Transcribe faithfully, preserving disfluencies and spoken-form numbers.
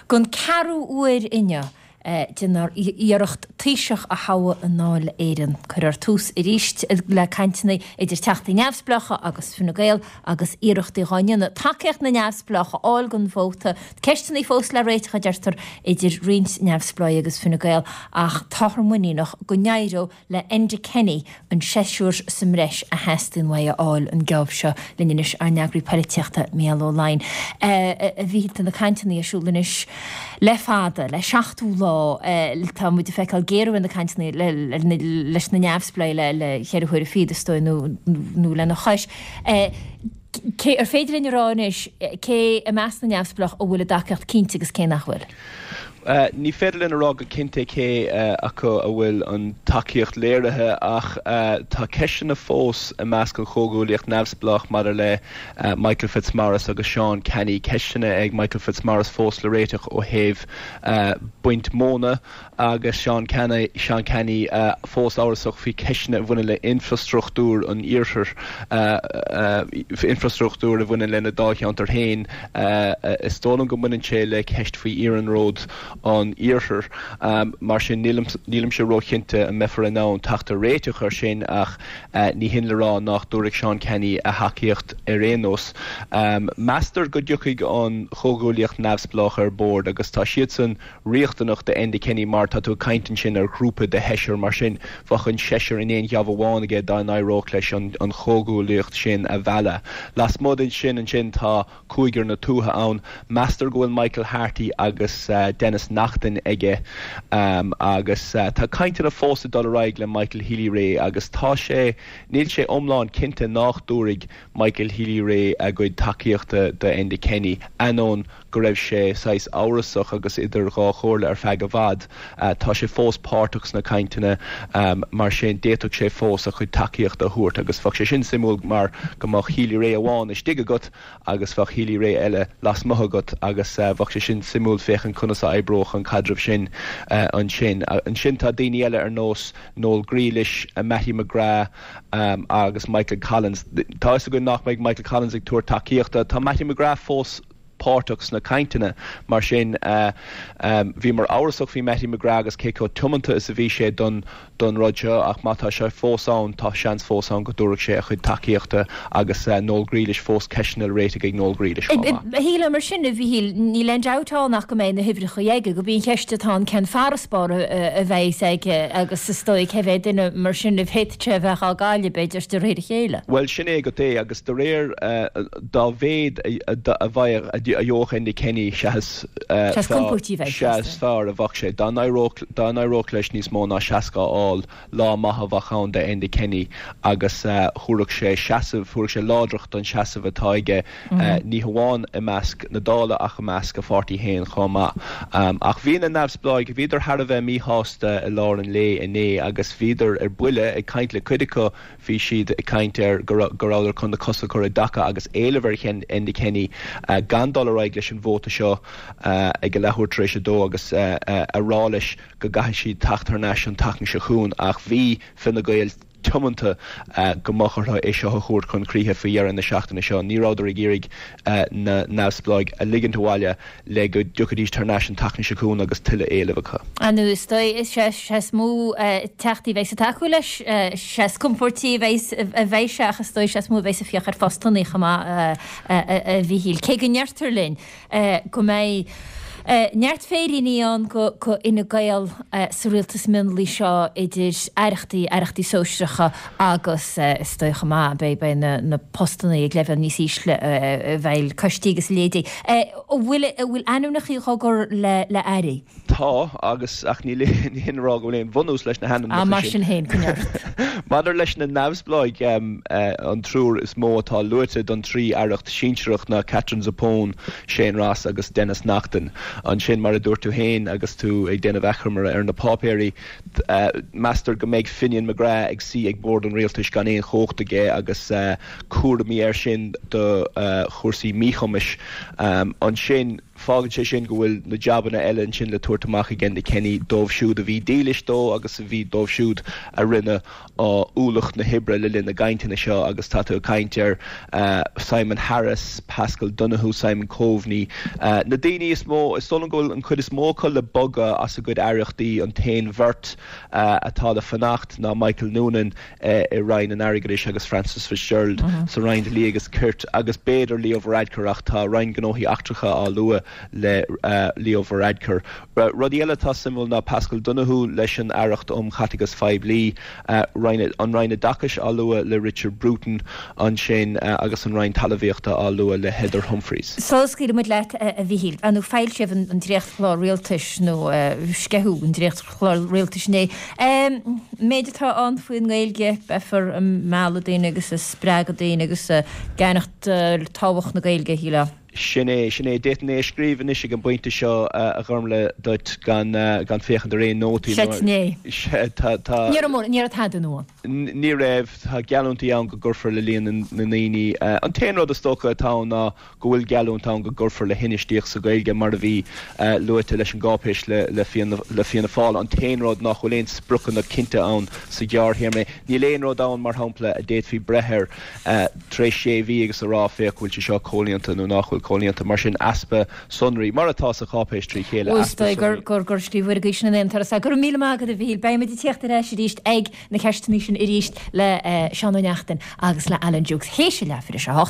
Don ceathrú huair inniu déanfar iarracht Taoiseach a thoghadh i nDáil Éireann. Cuirfear tús arís le cainteanna idir teachtaí neamhspleácha agus Fine Gael agus iarrachtaí á ndéanamh tacaíocht na neamhspleách a fháil don vóta. Ceisteanna fós le réiteach a deirtear idir roinnt neamhspleách agus Fine Gael ach táthar muiníneach go n-éireoidh le Enda Kenny an seisear sa mbreis a theastaíonn uaidh a fháil an geábh seo linn anois ár n-eagraí polaitíochta Mícheál Ó Laighin. A bhí na cainteanna ar siúl anois le fada le seachtú lá tá muid ag feiceáil géarú na cainteanna leis na neamhspleáigh le le ceithre huaire fichead is dóigh nó nó lena chois. Cé ar féidir linn a rá anois cé i measc na neamhspleách a bhfuil a dtacaíocht cinnte agus cé nach bhfuil? Uh, ní féidir linn a rá go cinnte cé uh, acu a bhfuil an tacaíocht léirithe ach uh, tá ceisteanna fós i measc an chomhghuaillíocht neamhspleách maidir le uh, Michael Fitzmaurice agus Sean Canney ceisteanna ag Michael Fitzmaurice fós le réiteach ó thaobh uh, baint móna agus Sean Canney Sean Canney uh, fós amhrasach faoi ceisteanna a bhaineann le infrastruchtúr an iarthar uh, uh, infrastruchtúr a bhaineann lena dáilcheantar féin uh, uh, is dóigh liom go mbaineann sé le ceist faoi iarnród an iarthar um, mar sin nílimse róchinnte an mbeifear in ann teacht ar réiteach ar sin ach uh, ní hin le rá nach dtabharfaidh Sean Canney a thacaíocht ar aon nós. Um, Meastar go dtiocfaidh an chomhghuaillíocht neamhspleách ar bord agus tá siad san riachtanach do Enda Kenny mar tá tú caint ansin ar ghrúpa de sheisear mar sin bheadh an seisear in aon gheábh amháin aige dá n-éireodh leis an, an chomhghuaillíocht sin a mhealladh. Lasmuigh sin ansin tá cúigear na tuaithe ann, Meastar go bhfuil Michael Harty agus uh, Denis Naughten aige um, agus uh, tá cainteanna fós ag dul ar aghaidh le Michael Healy-Rae agus tá sé níl sé iomlán cinnte nach dtabharfaidh Michael Healy-Rae a chuid tacaíochta do Enda Kenny ainneoin go raibh sé saghas amhrasach agus idir dhá chomhairle ar feadh i bhfad. Uh, tá sé fós páirteach sna cainteanna um, mar sin d'fhéadfadh sé fós a chuid tacaíochta a thabhairt agus bheadh sé sin suimiúil mar go mbeadh Healy-Rae amháin istigh agat agus bheadh Healy-Rae eile lasmuigh agat agus uh, bheadh sé sin suimiúil féachaint conas a oibreodh an caidreamh sin uh, ansin. Uh, ansin tá daoine eile ar nós Noel Grealish, uh, Mattie McGrath um, agus Michael Collins. Tá go nach mbeidh Michael Collins ag tabhairt tacaíochta, Tá Mattie McGrath fós páirteach sna cainteanna mar sin uh, um, bhí mar amhrasach faoi Mattie McGrath agus cé chomh tiomanta is a bhí sé don don rud seo ach má tá sé fós ann tá seans fós ann go dtabharfaidh sé a chuid tacaíochta agus uh, Noel Grealish fós ceisteanna le réiteach ag Noel Grealish. Shíle mar sin a bhí níl aon dabht nach go mbeidh na huimhreacha aige go bíonn ceist atá cén farasbarr a bheidh aige agus is dóigh cé mhéad duine mar sin a bhféadfadh sé bheith á gcailleadh b'fhéidir de réir a chéile. Well sin é go é agus de réir uh, dá mhéad a bheidh a gheobhadh Enda Kenny seas is fearr a bheadh sé dá n-éireodh leis níos mó ná seasca a fháil lá maith a bheadh ann do Enda Kenny agus thabharfadh sé seasamh thabharfadh sé láidreacht don seasamh atá aige ní hamháin i measc na Dála ach i measc a pháirtí féin chomh maith. Um, ach bhí na neamhspleáigh bhíodar thar a bheith míshásta i lár an lae inné agus bhíodar ar buile ag caint le cuid acu bhí siad ag caint ar go rabhadar chun na cosa a chur i dtaca agus éileamh ar Enda Kenny uh, gan dul ar aghaidh leis an vóta seo uh, ag a leathuair tar éis a dó agus uh, uh, a rá leis go gcaithfidh siad teacht thar n-ais an tseachtain seo chugainn ach bhí Fine Gael tiomanta uh, go mbeadh orthu é seo a chur chun críche faoi dheireadh na seachtaine seo. Ní rabhadar ag iarraidh uh, na neamhspleáigh a ligint abhaile le go dtiocfaidís thar n-ais an tseachtain seo chugainn agus tuilleadh éileamh acu. Anú is sé is mó teachtaí bheidh ag tacú leis is compórdaí a bheidh sé agus is is mó bheidh ag féach ar phostanna chomh maith a Mhíchíl. Cé go ndeirtear linn go mbeidh neart féiríní ann go Fhine Gael sa rialtas mionlaigh seo idir aireachtaí aireachtaí sóisearacha agus is dóigh chomh maith beidh beidh na, na postanna ag leibhéal níos ísle bheidh coistí agus leithéidí. bhfuil bhfuil ainmneacha á gcur le le airí? Tá agus ach ní ní hin rá go bhfuil aon bhunús leis na hainmneacha mar sin féin. Maidir leis na neamhspleáigh an triúr is mó atá luaite don trí aireacht sinsearach ná Katherine Zappone, Shane Ross agus Denis Naughten. Ansin mar a dúirt tú féin agus tú ag déanamh achoimre ar na páipéirí uh, meastar go mbeidh Finian McGrath ag suí ag bord an rialtais gan aon chumhacht aige agus uh, cúraimí air sin do uh, chúrsaí míchumais um, ansin Fágann sé sin go bhfuil na jabanna eile ansin le tabhairt amach ag Enda Kenny dóibh siúd a bhí dílis dó agus a bhí dóibh siúd a rinne ualach na hoibre le linn na gcainteanna seo agus tá tú ag caint ar Simon Harris, Paschal Donohoe, Simon Coveney, na daoine is mó, is dóigh liom go bhfuil an chuid is mó acu le bogadh as a gcuid aireachtaí, an t-aon bheirt atá le fanacht ná Michael Noonan i Roinn an Airgeadais agus Frances Fitzgerald sa Roinn Dlí agus Cirt agus b'fhéidir Leo Varadkar ach tá Roinn Gnóthaí Eachtracha á lua le Leo Varadkar. Rudaí eile atá suimiúil ná Paschal Donohoe leis an Aireacht um Chaiteachas Phoiblí, an Roinn Oideachais á lua le Richard Bruton ansin agus an Roinn Talmhaíochta á lua le Heather Humphreys. Sula scaoilfidh muid leat, a Mhíchíl, ar ndóigh foilsíodh an dréachtchlár rialtais nó sceitheadh an dréachtchlár rialtais inné. Méid atá ann faoin nGaeilge, beifear ag mealladh daoine agus ag spreagadh daoine agus ag ceannach tábhacht na Gaeilge, a shílfeá. Sin é, sin é. D'fhéadfainn é a scríobh anois ag an bpointe seo, a Ghormlaith, duit gan gan féachaint ar aon nótaí nó. Sin é. Sea, tá, tá. Ní raibh mórán, ní raibh tada nua ann. Ní raibh. Tá geallúintí ann go gcuirfear le líon na ndaoine. An t-aon rud is dócha atá ann ná go bhfuil geallúint ann go gcuirfear le hinfheistíocht sa Ghaeilge mar a bhí luaite leis an gcáipéis le Fianna Fáil. An t-aon rud nach bhfuil aon spriocanna cinnte ann sa ghearrthéarma. Níl aon rud ann, mar shampla, a d'fhéadfaí breith air tar éis sé mhí agus a rá féach bhfuil sé seo comhlíonta nó nach bhfuil comhlíonta. Mar sin, easpa sonraí, mar atá sa cháipéis trí chéile, easpa sonraí. Gur gur scríobh Gaois na n-aon turas. Go raibh míle maith agat a Mhíchíl. Beidh muid ag tíocht ar ais arís ag na ceisteanna sin arís le Seán Ó Neachtain agus le Alan Dukes théis a leathuair tar éis a hocht.